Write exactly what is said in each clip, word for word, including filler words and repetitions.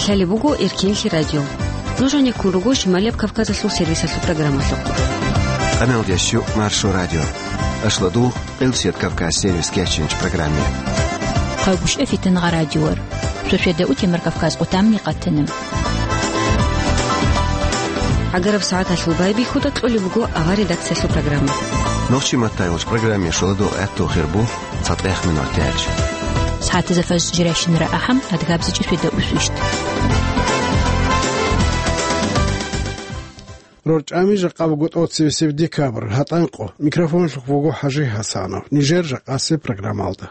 Лъалеб буго Эркенлъи радио. Нуж гьанеккун руго Шималияб Кавказалъул сервисалъул программалъухъ. Къаналдиясчу Маршо радио. Ашладул Къилсият Кавказ сервис кечинч программе. Хъавбушев Фитангъа радиор. Сосведа у Темир Кавказ къутамни къатана. ГӀагараб сагӀаталъул байбихьуда кьолеб буго авар редакциялъул программа. Нохчи маттайулч программе шоладул гӀатту хирбу. Цадахъ минут тяч. СагӀатазда фаз жиращинара ахӀам, адгабзичӀи светда усвищт. РорчӀами жакъа буго тӀоцевесеб декабрь, гьатӀанкъо. Микрофонлъухъ вуго ХӀажи ХӀасанов. Нижер жакъасеб программалда.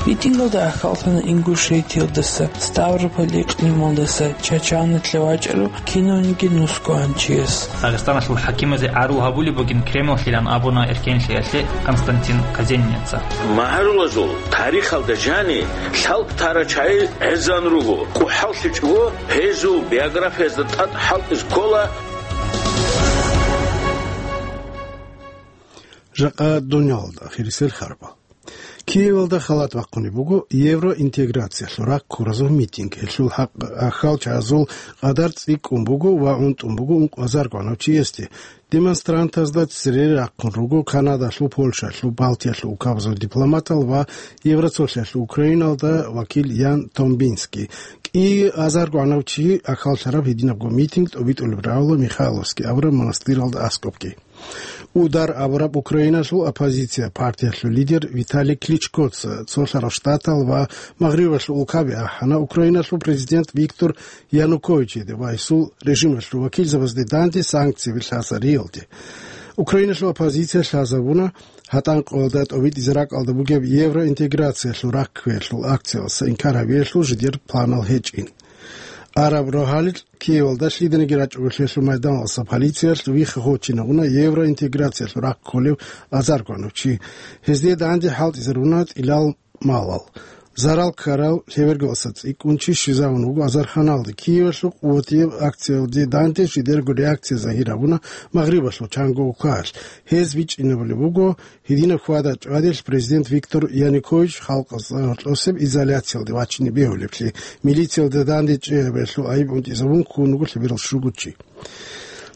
Митингалда ахьаллъана Ингушетиялдаса, Ставрополь икълималдаса, Чачаналъа вачӀарав кинавниги нусгоанчияс. Дагъистаналъул хӀакимазе гӀарул гьабулеб бугин Кремллъилан абуна эркенлъиялъе Константин Казенница. Магьарулазул тарихалда жани лъалкӀ тарачагӀи гӀезан руго. КӀухӀаллъичӀого гьезул биографиязда тӀад хӀалтӀизе ккола. Жакъа дуниялалда ахирисел харбал. Киевалда халат бахъунеб буго евроинтеграциялъул раккуразул митинг. Гьелъул хӀакъ ахьалчагӀазул къадар цӀикӀкӀун буго ва унтӀун буго ункъазарго гӀанав чиясде. Демонстрантазда цере рахъун руго Канадалъул, Польшалъул, Балтиялъул улкабазул дипломатал ва Евроцолъиялъул Украиналда вакил Ян Томбинский. КӀиазарго гӀанав чи ахьаллъараб гьединабго митинг тӀобитӀулеб рагӀула Михайловский абураб монастыралда аскӀобги. Удар абураб Украиналъул оппозиция партиялъул лидер Виталий Кличкоца Цолъарал Штатал ва Магърибалъул улкаби ахӀана Украиналъул президент Виктор Януковичиде ва гьесул режималъул вакилзабазде данде санкцияби лъазариялде. Украиналъул оппозиция лъазабуна гьатӀанкъоялда тӀобитӀизе ракӀалда бугеб евроинтеграциялъул ракквеялъул акциялдаса инкар гьабиялъул жидер планал гьечӀин. Араб рогьалил Киевалда лъиданиги рачӀунелъул майданалдаса полициялъ вихха гьочинавуна евроинтеграциялъул рахъ кколев азарго гӀанав чи. Гьезде данде хӀалтӀизаруна тӀилал малал. Зарал ккарал лъебергалдаса цӀикӀкӀун чи щвезавун вуго азарханалде. Киевалъул къуватияб акциялде данде жидерго реакция загьир гьабуна Магърибалъул чанго улкаялъ. Гьез бичӀчӀинабулеб буго гьединаб хьвада-чӀвадилъ президент Виктор Янукович халкъалъ гьоркьосеб изоляциялде вачине бегьулеблъи, милициялда данде чӀегӀабиялъул айиб унтӀизабун ккун вуго лъеберал щуго чи.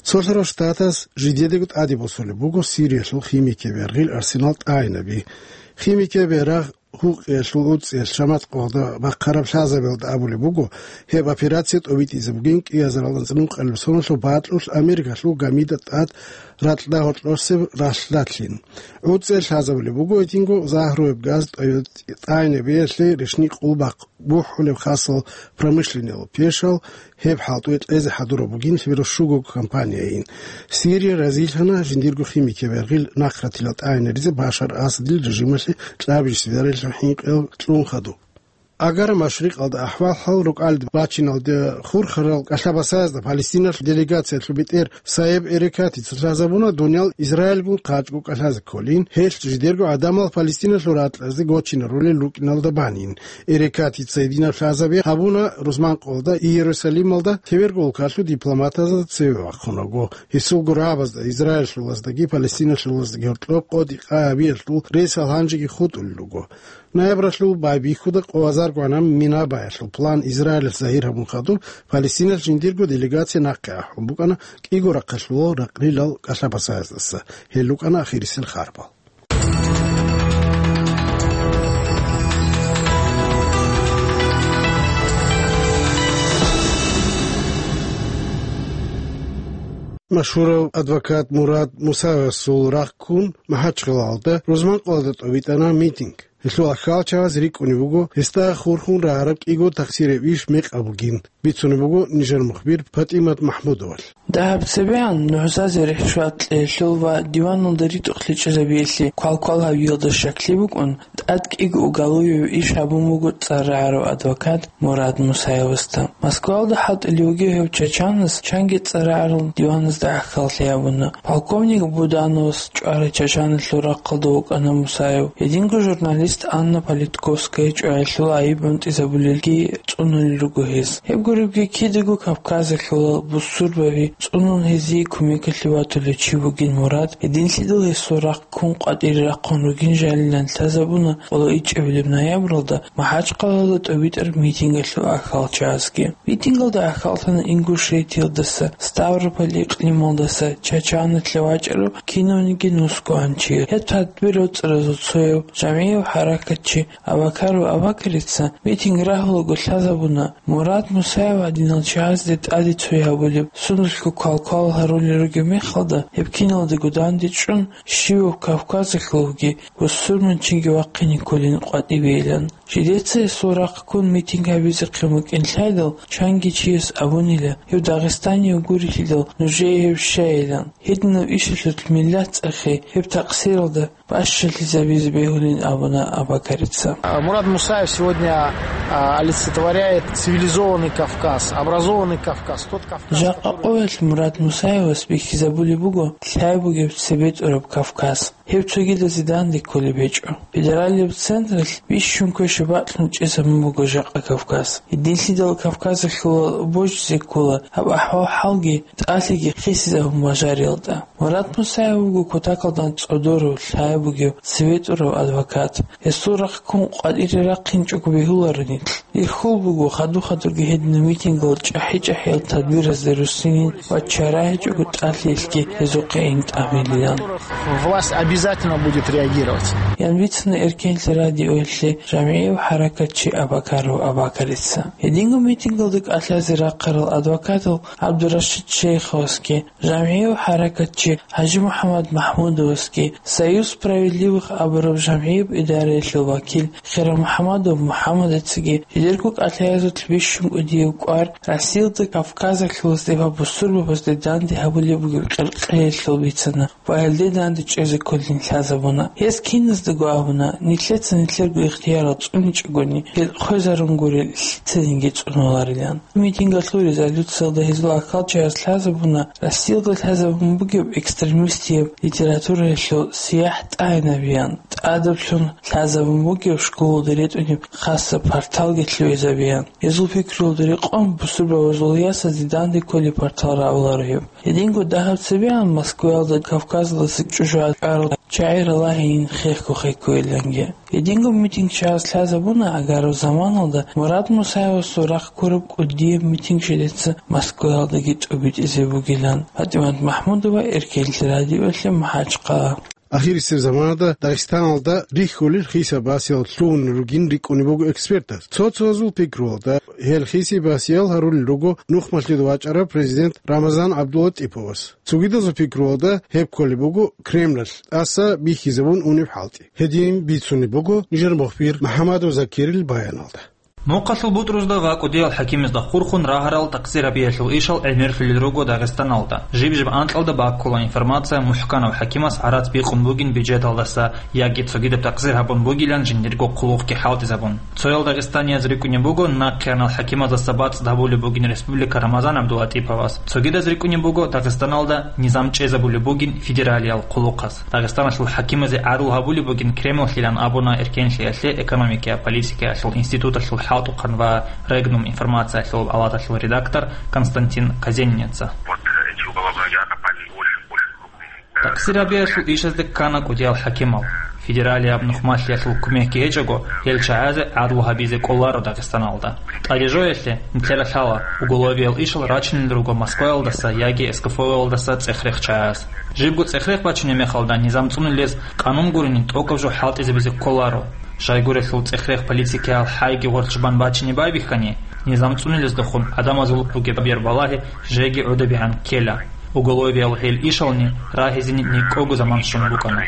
Цолъарал Штатас жидедаго тӀаде босулеб буго Сириялъул химикияб яргъил арсенал тӀагӀинаби. Химикияб ярагъ гьукъиялъул уцӀцӀиялъ шамат къогъда бахъараб лъазабиялда абулеб буго, гьеб операция тӀобитӀизе бугин кӀиазаралда цӀнукъалеб соналъул бакьулъ Америкалъул гамида тӀад ракьда гьоркьосеб ралъдалъин. ГӀуцӀел лъазабулеб буго гьединго загьруяб газ тӀайнабиялъе рещтӀинаб къулбахъ бухӀулеб хасал промышленниялъул пешал, гьеб хӀалтӀуе кьезе хӀадураб бугин лъеберал щуго компанияйин. Сирия разилъана жиндирго химикияб яргъил нахъратилал тӀагӀинаризе Башар Асадил режималъе кьабизе сверарилъун хӀинкъиялда кьун хадуб. Агар машрикъалда ахӀвал-хӀал рукӀалде бачиналде хурхарал кӀалъа-басаязда Палестиналъул делегациялъул бетӀер Саеб Эрекатица лъазабуна дуниял Израильгун хъачӀго кӀалъазе кколин, гьелъ жидерго гӀадамал Палестиналъул ракьазде гочинарулел рукӀиналда банин. Эрекатица гьединаб лъазаби гьабуна рузманкъоялда Иерусалималда лъеберго улкалъул дипломатазда цеве вахъунаго. Гьесул гурабазда, израильлъулаздаги палестиналъулаздаги гьоркьоб къо-дикъа гьабиялъул ресал гьанжеги хутӀулел руго. Ноябралъул байбихьуда къоазаргвана Минабаялъул план Израилалъ загьир гьабун хадуб, Палестиналъ жиндирго делегация нахъе ахӀун букӀана кӀиго рахъалъулал ракълилал кӀалъа-басаяздаса. Гьел рукӀана ахирисел харбал. Машгьурав адвокат Мурад Мусаевасул рахъ ккун, МахӀачхъалалда рузманкъоялда тӀобитӀана митинг. Гьелъул ахьалчагъаз рикӀкӀунеб буго гьесда хурхун рагьараб кӀиго тахсирияб иш мекъаб бугин, бицунеб буго нижер мухбир ПатӀимат МахӀмудовалъ. Дагьаб цебегӀан нугӀзазе рихӀ-шват кьеялъул ва диваналда ритӀухълъи чӀезабиялъе квалквал гьавиялда щаклъи букӀун, тӀад кӀиго уголовияб иш гьабун буго цӀар рагӀарав адвокат Мурад Мусаевасда. Москваялда хӀалтӀулев вугев гьев чачанас чанги цӀар рагӀарал диваназда гӀахьаллъи гьабуна. Полковник Будановас чӀварай чачаналъул рахъалда вукӀана Мусаев. Гьединго журналист Анна Политковская чӀваялъул гӀайиб унтӀизабулелги цӀунулел руго гьес. Гьеб гуребги кидаго Кавказалъула бусурбаби цӀунун гьезие кумекалъе ватулев чи вугин Мурад, гьединлъидал гьесул рахъ ккун къватӀире рахъун ругин жалилан лъазабуна къоло ичӀабилеб ноябралда МахӀачхъалаялда тӀобитӀараб митингалъул ахьалчагӀазги. Митингалда ахьаллъана Ингушетиялдаса, Ставрополь икълималдаса, Чачаналъа вачӀарав кинавниги нусгоан чи. Гьеб тадбирал цӀаразул цояв, жамгӀияв хӀаракатчи Абакаров Абакарица митинг рагьулаго лъазабуна, Мурад Мусаев гьадинал чагӀазде тӀаде цой гьабулеб, сундулъго квалквал гьарулел ругеб мехалда, гьеб киналдаго дандечӀун, щивав Кавказалъулги бусурманчинги вахъине кколин къватӀибейилан. Жидеца гьесул рахъ ккун митинг гьабизехъин букӀин лъайдал, чанги чияс абунила, гьев дагъистанияв гурелъидал нужее гьев щайилан. Гьединаб ишалъулъ миллат цӀехе гьеб такъсиралда бащалъизабизе бегьулин абуна Абакарица. А, Мурад Мусаев сегодня, а, олицетворяет цивилизованный Кавказ, образованный Кавказ, тот Кавказ, Жакъа который къоялъ Мурад Мусаевас бихьизабулеб буго лъай бугеб цебетӀураб Кавказ. Гьеб цогидазе данде кколеб гьечӀо. Федералияб централъ бищун квеша бакьун чӀезабун буго жакъа Кавказ. Гьединлъидал Кавказалъула божизе ккола гьаб ахӀвал-хӀалги тӀалъиги хисизабун бажариялда. Мурад Мусаев вуго кутакалда цӀодорав лъай бугев цебетӀурав адвокат. Гьесул рахъ ккун къватӀире рахъинчӀого бегьуларо нилъ. Ирхьул буго хадур-хадурги гьединаб митингал чӀахӀи-чӀахӀиял тадбиразде руссинин ва чара гьечӀого тӀалъиялъги гьезухъе ин тӀамилилан. Власть обязательно будет реагировать. Ян бицана Эркенлъи радиоялъе жамгӀияв хӀаракатчи Абакаров Абакарица. Гьединго митингалда кӀалъазе рахъарал адвокатал ГӀабдурашид Шейховасги, жамгӀияв хӀаракатчи ХӀажимухӀаммад МахӀмудовасги, Союз справедливых абураб жамгӀияб идараялъул вакил ХералмухӀаммадов МухӀаммадацаги жидерго кӀалъаязулъ бищун кӀудияв кӀвар Россиялда Кавказалъулазде ва бусурбабазде данде гьабулеб бугеб къеркъеялъул бицана ва гьелде данде чӀезе кколин лъазабуна. Гьез киназдаго абуна, нилъеца нилъерго ихтиярал цӀуничӀогони, гьел хвезарун гурел лъицаниги цӀунуларилан. Митингалъул резолюциялда гьезул ахьалчагӀаз лъазабуна Россиялда лъазабун бугеб экстремистияб литератураялъул сияхӀ тӀагӀинабиян, тӀадаблъун лъазабун бугеб школалда ретӀунеб хасаб парталги лъугӀизабиян. Гьезул пикруялда рекъон бусурбабазул ясазе данде кколеб партал равларо гьеб. Гьединго дагьаб цебегӀан Москваялда Кавказалдаса чӀужугӀадарал чагӀи ралагьейин хехго-хехгойиланги. Гьединго митингчагӀаз лъазабуна агараб заманалда Мурад Мусаевасул рахъ ккураб кӀудияб митинг жидеца Москваялдаги тӀобитӀизе бугилан. ПатӀимат МахӀмудова, Эркенлъи радиоялъе, МахӀачхъала. Ахирисеб заманалда Дагъистаналда рихьулел хисаб-басиял лъугьунел ругин рикӀкӀунеб буго экспертаз. Цо-цоязул пикруялда, гьел хисиб-басиял гьарулел руго нухмалъида вачӀарав президент Рамазан ГӀабдулатӀиповас. Цогидазул пикруялда, гьеб кколеб буго Кремлалъ тӀаса бихьизабун унеб хӀалтӀи. Гьедин бицунеб буго нижер мухбир МухӀаммадов Закирил баяналда. Мухъалъул бутӀрузда ва кӀудиял хӀакимазда хурхун рагьарал такъсир гьабиялъул ишал гӀемерлъулел руго Дагъистаналда. Жиб-жиб анкьалда баккула информация мухӀканав хӀакимас гӀарац бикъун бугин бюджеталдаса яги цогидаб такъсир гьабун бугилан жиндирго хъулухъги хӀалтӀизабун. Цоял дагъистанияз рикӀкӀунеб буго нахъеранал хӀакимаздаса бацӀцӀад гьабулеб бугин республика Рамазан ГӀабдулатӀиповас. Цогидаз рикӀкӀунеб буго Дагъистаналда низам чӀезабулеб бугин федералиял хъулухъаз. Дагъистаналъул хӀакимазе гӀадлу гьабулеб бугин Кремллъилан абуна Эркенлъиялъе экономикая политикаялъул институталъул хӀалтӀухъан ва Регнум информациялъул палаталъул редактор Константин Казенница. Вот эти уголовные дела попали в очень, очень крупные. Такъсир гьабиялъул ишазде ккана кӀудиял хӀакимал. Федералияб нухмалъиялъул кумекги гьечӀого, гьел чагӀазе гӀадлу гьабизе кӀоларо Дагъистаналда. ТӀадежоялъе нилъера лъала, уголовиял ишал рачунел руго Москваялдаса яги СКФО-ялдаса цӀех-рех чагӀаз. Жибго цӀех-рех бачунеб мехалда низам цӀунулез къанун гурони тӀокӀаб жо хӀалтӀизабизе кколаро. Щайгурелъул цӀех-рех политикаял хӀайги гъоркь чӀубан бачине байбихьани, низам цӀунулездехун гӀадамазул бугеб бербалагьи жеги гӀодобегӀан ккела. Уголовиял гьел ишални рагьизени никӀого заман щун букӀана.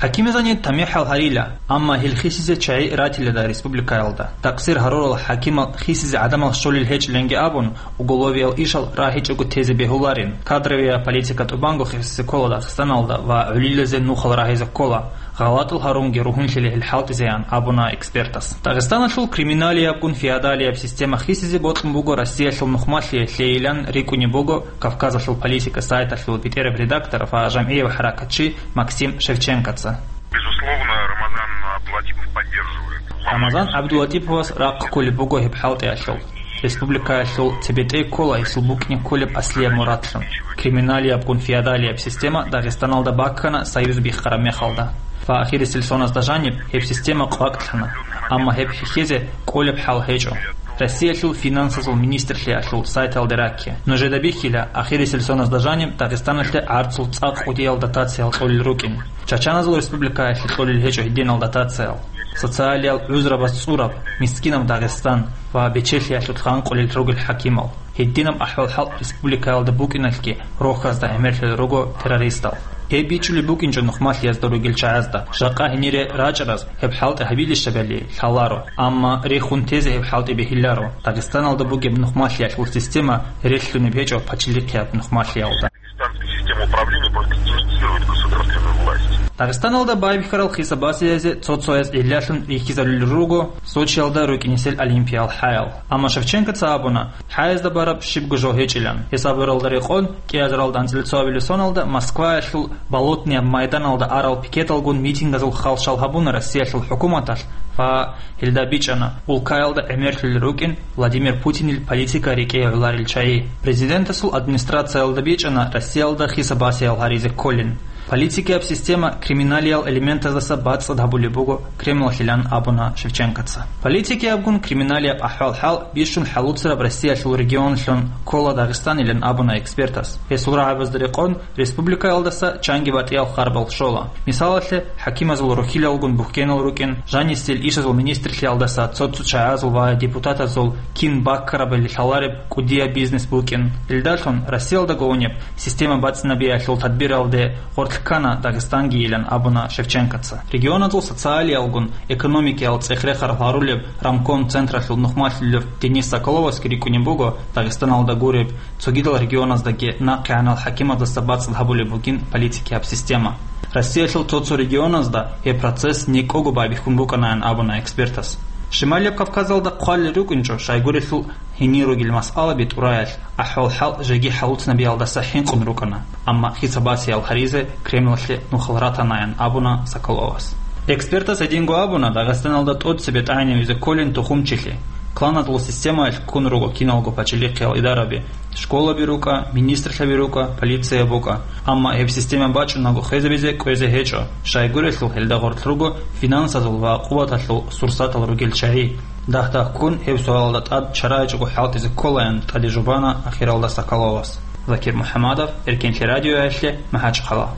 ХӀакимазани тамихӀал гьарила, амма гьел хисизе чагӀи ратилада республикаялда. Такъсир гьарурал хӀакимал хисизе гӀадамал щолел гьечӀиланги абун, уголовиял ишал рагьичӀого тезе бегьуларин. Кадровия политика тӀубанго хисизе ккола Дагъистаналда ва гӀолилазе нухал рагьизе ккола. ГъалатӀал гьарунги ругьунлъила гьел хӀалтӀизеян, абуна экспертас. Дагъистаналъул криминалиябгун феодалияб система хисизе бокьун буго Россиялъул нухмалъиялъейилан рикӀкӀунеб буго Кавказалъул политика сайталъул бетӀераб редактор ва жамгӀияв хӀаракатчи Максим Шевченкоца. Безусловно, Рамазан Абдулатипов поддерживает. Рамазан ГӀабдулатиповас рахъ кколеб буго гьеб хӀалтӀиялъул. Республикаялъул цебетӀей ккола гьесул букӀине кколеб аслияб мурадлъун. Криминалиябгун феодалияб система Дагъистаналда баккана союз биххараб мехалда. Ва ахирисел соназда жаниб гьеб система къвакӀлъана, амма гьеб хьихьезе кӀолеб хӀал гьечӀо. Россиялъул финансазул министрлъиялъул сайталде ракке. Нужеда бихьила, ахирисел соназда жаниб Дагъистаналъе гӀарцул цӀакъ кӀудиял дотациял кьолел рукӀин. Чачаназул республикаялъе кьолел гьечӀо гьединал дотациял. Социалиял гӀузрабаз цӀураб, мискинаб Дагъистан ва бечелъиялъулъ гъанкъулел ругел хӀакимал. Гьединаб ахӀвал-хӀал республикаялда букӀиналъги рохьазда гӀемерлъулел руго террористал. Гьеб бичӀчӀулеб букӀинчӀо нухмалъиязда ругел чагӀазда, жакъа гьенире рачӀараз гьеб хӀалтӀи гьабилищ абали лъаларо, амма рехун тезе гьеб хӀалтӀи бегьиларо. Дагъистаналда бугеб нухмалъиялъул система релълъунеб гьечӀо пачалихъияб нухмалъиялда. Пакистанская система управления просто имитирует государственную власть. Дагъистаналда байбихьарал хисаб-басиязе цо-цояз гӀиллалъун рихьизарулел руго Сочиялда рукӀинесел олимпиял хӀаял. Амма Шевченкоца абуна, хӀаязда бараб щибго жо гьечӀилан. Гьесабуралда рекъон, кӀиазаралда анцӀила цоабилеб соналда Москваялъул Болотнияб майданалда арал пикеталгун митингазул халщал гьабуна Россиялъул хӀукуматалъ ва гьелда бичӀчӀана улкаялда гӀемерлъулел рукӀин Владимир Путинил политика рекӀее гӀоларел чагӀи. Президентасул администрациялда бичӀчӀана Россиялда хисаб-басиял гьаризе кколин. Политикияб система криминалиял элементаздаса бацӀцӀад гьабулеб буго Кремлалъилан абуна Шевченкоца. Политикиябгун криминалияб ахӀвал-хӀал бищун хӀалуцараб Россиялъул регионалъун ккола Дагъистанилан абуна экспертас. Гьесул рагӀабазда рекъон республикаялдаса чанги батӀиял харбал щола. Мисалалъе, хӀакимазул рухьилалгун бухьенал рукӀин, жанисел ишазул министрлъиялдаса цо-цо чагӀазул ва депутатазул кин баккарабали лъалареб кӀудияб бизнес букӀин. Илдалъун Россиялда гонеб система бацӀцӀинабиялъул тадбиралде гъоркь ккана Дагъистангийилан абуна Шевченкоца. Регионазул социалиялгун экономикиял цӀех-рехъарал гьарулеб рамком централъул нухмалъулев Денис Соколовасги рикӀкӀунеб буго Дагъистаналда гуреб, цогидал регионаздаги нахъегӀанал хӀакимаздаса бацӀцӀад гьабулеб бугин политикияб система. Россиялъул цо-цо регионазда гьеб процесс некӀого байбихьун букӀанаян абуна экспертас. Шималияб Кавказалда хъвалел рукӀинчӀо, щайгурелъул гьенир ругел масъалаби тӀураялъ, ахӀвал-хӀал жеги хӀалуцнабиялдаса хӀинкъун рукӀана, амма хисаб-басиял гьаризе Кремлалъе нухал ратанаян абуна Соколовас. Экспертас гьединго абуна, Дагъистаналда тӀоцебе тӀагӀинавизе кколин тухумчилъи, кланазул системаялъ ккун руго киналго пачалихъиял идараби, школаби рукӀа, министрлъаби рукӀа, полиция букӀа. Амма гьеб система бачӀунаго хвезабизе кӀвезе гьечӀо, щайгурелъул гьелда гъорлъ руго финансазул ва къуваталъул сурсатал ругел чагӀи. Дагь-дагьккун гьеб суалалда тӀад чара гьечӀого хӀалтӀизе кколаян тӀаде жубана ахиралда Соколовас. Закир МухӀамадов, Эркенлъи радиоялъе, МахӀачхъала.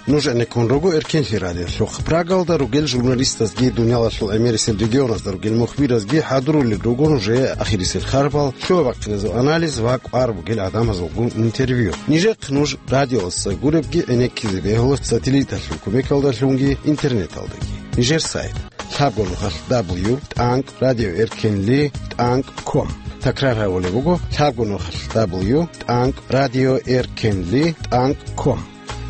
Нуж гӀенеккун руго Эркенлъи радиолъухъ. Прагалда ругел журналистазги, дуниялалъул гӀемерисел регионазда ругел мухбиразги хӀадурулел руго нужее ахирисел харбал, лъугьа-бахъиназул анализ ва кӀвар бугел гӀадамазулгун интервью. Нижехъ нуж радиоялдаса гуребги гӀенеккизе бегьула сателлиталъул кумекалдалъунги интернеталдаги. Нижер сайт: лъабго нухалъ дабл ю тӀанкӀ радио эркенли тӀанкӀ ком. Такрар гьабулеб буго: лъабго нухалъ дабл ю тӀанкӀ радио эркенли тӀанкӀ ком.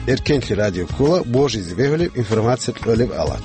Эркенлъи радио ккола божизе бегьулеб информация кьолеб алат.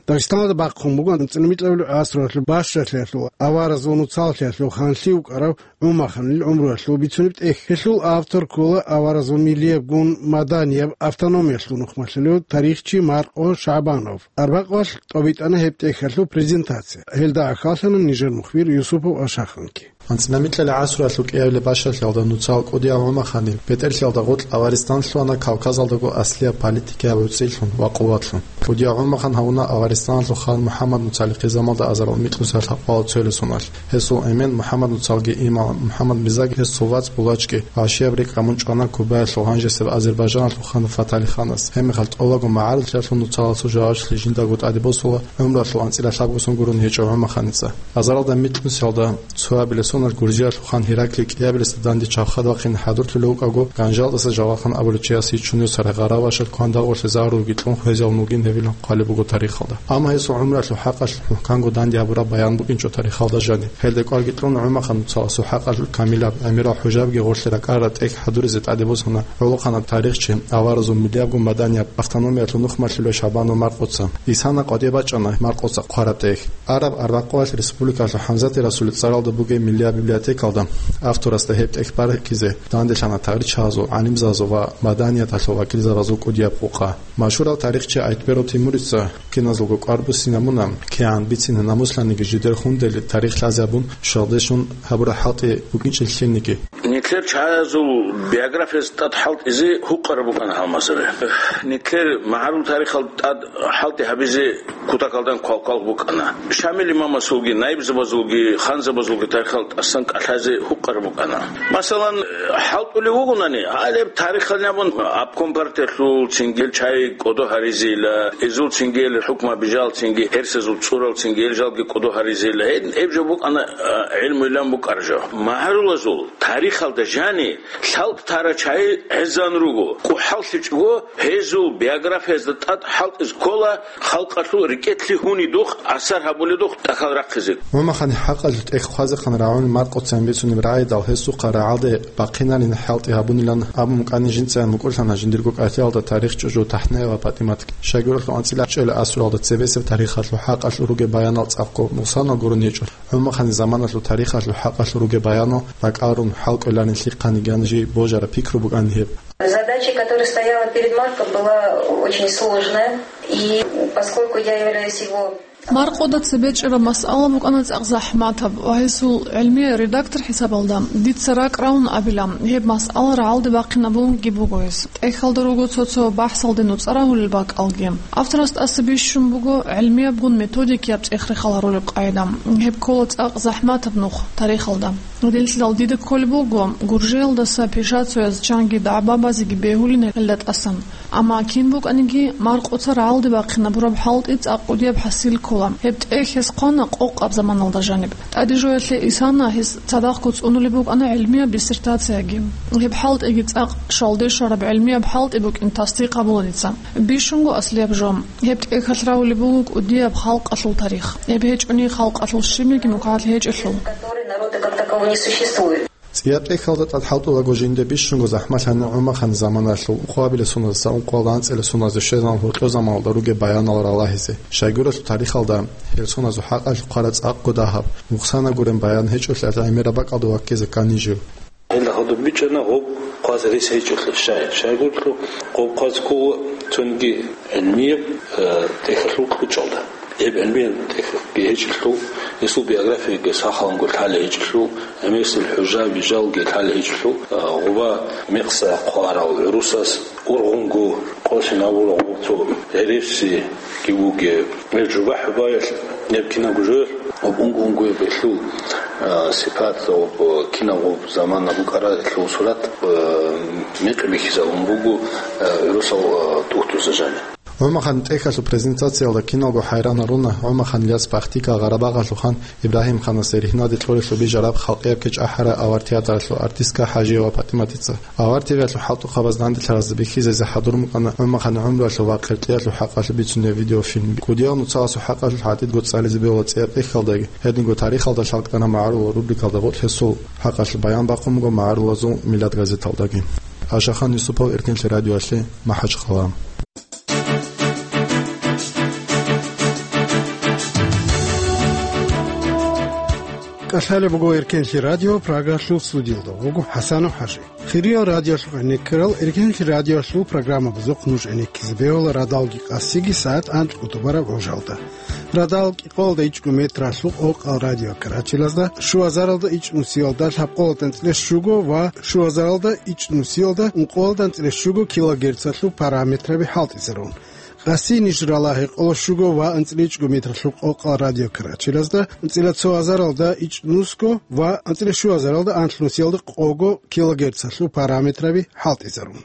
Дагъистаналда бахъун буган анцӀила микьабилеб гӀасруялъул бащалъиялъул аваразул нуцаллъиялъул ханлъи вукӀарав ГӀумаханил гӀумруялъул бицунеб тӀехь. Гьелъул автор ккола аваразул миллиябгун маданияб автономиялъул нухмалъулев тарихчи Маркъо ШагӀбанов. Арбакъвалъ тӀобитӀана гьеб тӀехьалъул презентация. Гьелда ахьаллъана нижер мухбир Юсупов Ашаханги. АнцӀила микьабилеб гӀасруялъул кӀиабилеб бащалъиялда нуцал кӀудияв ГӀумахан бетӀерлъиялда гъоркь Аваристанлъугьана Кавказалдаго аслияб политикаяб гӀуцӀилъун ва къуватлъун. КӀудияв ГӀумахан гьавуна Аваристаналъул хан МухӀаммад нуцалихъе замалда азарал микьнусиялъ лъабкъоялда цоял соналъ. Гьесул эмен МухӀаммад нуцалги имам МухӀаммад Мизаги, гьес цо вацӀ Булачги, вагӀишияб рикӀкӀ гьабун чӀвана Кубаялъул гьанжесеб Азербайжаналъул хан ФатӀалиханас. Гьебмехалъ тӀолабго магӀарулъиялъул нуцаласул жавабалъулъ жиндаго тӀаде босула гӀумруялъул анцӀила лъабго сон гурони гьечӀев ГӀумаханица. Азаралда микьнусиялда цоабилеб соналъ Гуржиялъул хан Гьераклий кӀиабилесда данде чав хадуб бахъине хӀадурлъулев вукӀаго, Ганжалдаса жавгъа хан Абулчияс Ичунев цархӀил гъаравашал кван дагъулъе загьрулги кьун хвезавун вугин гьевилан хъвалеб буго тарихалда. Амма гьесул гӀумруялъул хӀакъалъулъ мухӀканго данде гьабураб баян букӀинчӀо тарихалда жаниб. Гьелде кӀвар гьитӀун ГӀумахануцаласул хӀакъалъулъ Камилаб, ГӀамирал хӀужабги гъорлъе ракӀарараб тӀехь хӀадуризе тӀаде босана гӀолохъанаб тарихчи, аваразул миллиябгун маданияб автономиялъул нухмалъулев ШагӀбанов Маркъоца. Исана къватӀибе бачӀана Маркъоца хъвараб тӀехь. Араб арбакъвалъ республикалъул ХӀамзатил Расулил цӀаралда бугеб миллияб библиотекалда. Авторасда гьеб тӀехь баракизе данделъана тарихчазул, гӀалимзазул ва маданияталъул вакилзабазул кӀудияб къукъа. Машгьурав тарихчи Айтберов Тимурица киназулго кӀвар буссинабуна, кигӀан бицина намуслъаниги жидер хунделин тарих лъазе абун, щвалде щун гьабураб хӀалтӀи букӀинчӀел лъилниги. Нилъер чагӀазул биографияз тӀад хӀалтӀизе гьукъараб букӀана гьалмагъзаби. Нилъер магӀарул тарихал тӀад хӀалтӀи гьабизе кутакалдан квалквал букӀана. Шамил имамасулги, наибзабазулги, ханзабазулги тарихал тӀасан кӀалъазе гьукъараб букӀана. Масалан, хӀалтӀулев вугонани, гьалеб тарихалин абун, обком партиялъул цинги гьел чагӀи кӀодо гьаризейила, изул цинги гьел хӀукму бижал цинги гьерсазул цӀурал цинги гьел жалги кӀодо гьаризейила. Гьеб, гьеб жо букӀана, а, гӀилмуйилан букӀараб жо. МагӀарулазул тарихалда жани хӀалтӀи тарал чагӀи гӀезегӀан руго. КӀухӀаллъичӀого гьезул биографиязда тӀад хӀалтӀизе ккола, халкъалъул рекӀелъе гьунидухъ, асар гьабуледухъ тӀахьал рахъизе. ГӀумаханил хӀакъалъулъ тӀехь хъвазехъан рагӀуни Маркъоцаги бицунеб рагӀидал, гьесухъа рагӀалде бахъинарин хӀалтӀи гьабунилан абун букӀани, жинцайин букӀурлъана жиндирго кӀалъиялда тарихчӀужу ТахӀнаева ПатӀиматги. Щайгурелъул анцӀила чӀела асуралда цебесеб тарихалъул хӀакъалъулъ ругеб баянал цӀакъго нукъсанал гурони гьечӀо. ГӀумаханил заманалъул тарихалъул хӀакъалъулъ ругеб баянал ракӀалрун хӀалкӀоларин лъихъаниги жаниб божараб пикру букӀана гьеб. Задача, которая стояла перед Марком, была очень сложная, и поскольку я являюсь его... Маркъода цебе чӀараб масъала букӀана цӀакъ захӀматаб ва гьесул гӀилмияв редактор хӀисабалда дица ракӀ равун абила, гьеб масъала рагӀалде бахъинабунги буго гьес. ТӀехьалда руго цо-цо бахӀсалде нуцӀа рагьулел бакӀалги. Авторас тӀаса бищун буго гӀилмиябгун методикияб цӀех-рехал гьарулеб къагӀида. Гьеб ккола цӀакъ захӀматаб нух тарихалда. Гьединлъидал дида кколеб буго Гуржиялдаса Пишацояз чанги дагӀба базеги бегьулин гьелда тӀасан. Амма кин букӀаниги, Маркъоца рагӀалде бахъинабураб хӀалтӀи цӀакъ кӀудияб хӀасил ккола. Гьеб тӀехь гьес хъвана къокъаб заманалда жаниб. ТӀадежоялъе исана гьес цадахъго цӀунулеб букӀана гӀилмияб диссертацияги. Гьеб хӀалтӀиги цӀакъ щвалде щвараб гӀилмияб хӀалтӀи букӀин тасдикъ гьабула дица. Бищунго аслияб жо. Гьеб тӀехьалъ равулеб буго кӀудияб халкъалъул тарих. Гьеб гьечӀони халкъалъул щибниги мукӀалъ гьечӀелъул. Который народа как такового не существует. ЦӀияб тӀехьалда тӀад хӀалтӀулаго жинде бищунго захӀмалъана ГӀумаханил заманалъул ункъабилеб соналдаса ункъоялда анцӀила соналде щвезабун гьоркьор заманалда ругеб баянал ралагьизе. Щайгурелъул тарихалда гьел соналъул хӀакъалъулъ хъвараб цӀакъго дагьаб, нукъсанал гуреб баян гьечӀолъиялъ гӀемераб бакӀалда ваккизе ккани жив. Гьелда гьадуб бичӀчӀана гъоб хъваз рес гьечӀолъи щай. Щайгурелъул гъоб хъваз ккола цониги гӀилмияб, э, тӀехьалъул кьучӀалда. Гьеб гӀилмияб тӀехьги гьечӀелъул, гьесул биографияги сахлъанго лъалеб гьечӀелъул, гӀемерисел хӀужа-вижалги лъалеб гьечӀелъул, э, гъоба мекъса хъварал гӀурусаз ургъунго къосин абурал гъоб цо гьересиги бугеб. Гьеб жубахӀ-жубаялъ гьеб кинабго жоялъ гьоб унго-унгояб гьелъул, э, сипат, гьоб кинабго замана букӀаралъул сурат, э, мекъи бихьизабун буго, э, гӀурусал, э, тухтурзабазда. ГӀумаханил тӀехьалъул презентациялда киналго хӀайран гьаруна ГӀумаханил яц Бахтига Гъарабагъалъул хан Ибрагьим-ханасде ригьнаде кьолелъул бижараб халкъияб кечӀ ахӀараб Авар театралъул артистка ХӀажиева ПатӀиматица. Авар ТВ-ялъул хӀалтӀухъабаз данделъаразда бихьизезе хӀадур букӀана ГӀумаханил гӀумруялъул ва къеркьеялъул хӀакъалъулъ бицунеб видеофильм. КӀудиял нуцалъул хӀакъалъулъ гӀадидго цӀализе бегьула цӀияб тӀехьалдаги, гьединго тарихалда лъалкӀана магӀарулал рубрикалда, гъоркь гьесул хӀакъалъулъ баян бахъун буго магӀарулазул Миллат газеталдаги. Ашахан Юсупов, Эркенлъи радиоялъе, МахӀачхъала. КӀалъалеб буго Эркенлъи радио, Прагалъул студиялда вуго ХӀасанов ХӀажи. Хириял радиолъухъ гӀенеккарал, Эркенлъи радиоялъул программабазухъ нуж гӀенеккизе бегьула радалги къасиги сагӀат анцӀго тӀубараб гӀужалда. Радал кӀикъоялда ичӀго метралъул къокъал радиокарачелазда, щуазаралда ичӀнусиялда лъабкъоялда анцӀила щуго ва щуазаралда ичӀнусиялда ункъоялда анцӀила щуго килогерцалъул параметраби хӀалтӀизарун. Къаси ниж ралагьи къоло щуго ва анцӀила ичӀго метралъул къокъал радиокарачелазда, анцӀила цо азаралда ичӀнусго ва анцӀила щуазаралда анлънусиялда къого килогерцалъул параметраби хӀалтӀизарун.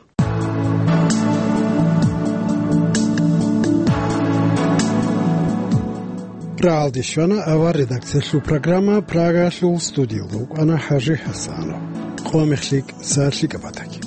Рагьалде щвана авар редакциялъул программа, Прагалъул студиялда вукӀана ХӀажи ХӀасанов. Къо мехлъи, сагӀат лъикӀаб батаги.